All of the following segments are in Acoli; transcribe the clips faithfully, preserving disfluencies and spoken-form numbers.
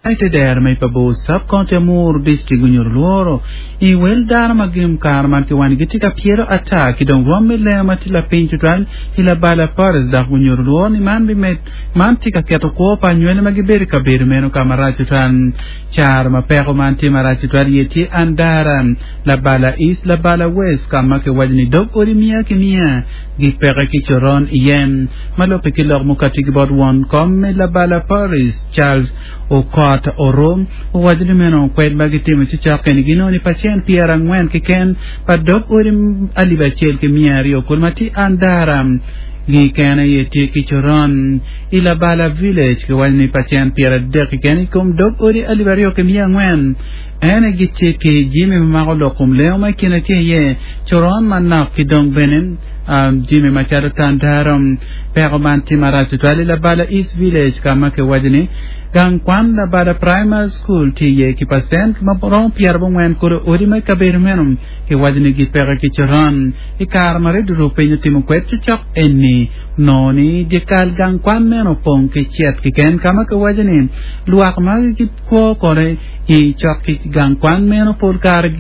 Te dero me Pabor Sub-County Amuru District onyuto lworo i wel dano ma gin kare man kiwani gitye ka pyelo ata ki dong rwom me lengo ma tye lapiny tutwal i labala Paris dok onyuto lworo ni man bimed man tye ka keto kwo pa anywali ma gibedo i kabedo meno ka marac tutwal. Caro ma peko man tye marac tutwal iye tye Andara, Labala East, Labala West ka ma kiwaco ni dog odi miya ki miya gipeke ki coron iye. Ma lubbe ki lok mukati ki bot won kom me Labala Paris, Charles Okot Orom, owaco ni meno kwed ma gitimo ci cok eni ginongo ni pacen pyerangwen keken pa dog odi alip acel ki miya aryo kulu ma tye Andara keken aye tye ki coron. I Labala Village kiwaco ni pacen pyeradek keken i kom dog odi alip aryo ki miya angwen en aye gitye ki jami ma mako lok kom lengo ma i kine tye iye coron manok ki dong bene jami macalo tandaro. Peko man tye marac tutwal i Labala East Village ka ma kiwaco ni gang kwan Labala Primary School tye iye ki pacent ma romo pyerabongwen kulu odi ma i kabedo meno kiwaco ni gipeke ki coron. I kare ma redio rupiny otimo kwed cocok eni onongo ni dyekal gang kwan meno opong ki cet keken ka ma kiwaco ni lwak ma gikwo kono i cok ki gang kwan meno pol kare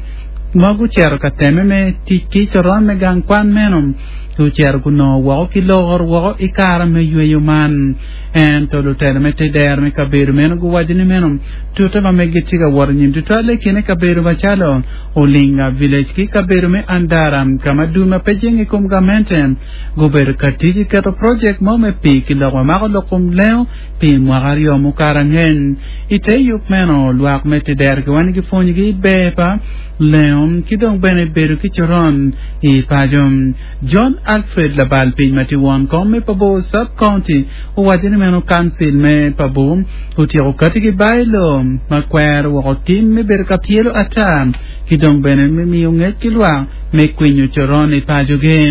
ma gucito ka temme me tic ki coron me gang kwan meno gucito gunongo woko ki loro woko i kare me yweyo man. Ento lutelo me te dero me kabedo meno guwaco ni meno tute ma meggi tye ka wot anyim tutwalle i kine kabedo macalo Olinga Village ki kabedo me Andara ka ma dul ma pe jenge i kom gamente gubedo ka tic i keto projek mo me pii ki lok ma mako lok kom lengo pi mwaka aryo mukato angec. I te yub meno, lwak me te dero kiwaco ni gipwonyogi ber pa lengo ki dong bene bedo ki coron i paco. John Alfred labal piny ma tye won kom me Pabor Sub-County owaco ni meno kancil me Pabor otyeko kati ki bailo ma kwero woko tim me bedo ka pyelo ata ki dong bene me miyo ngec ki lwak me kwinyo coron i pacogi.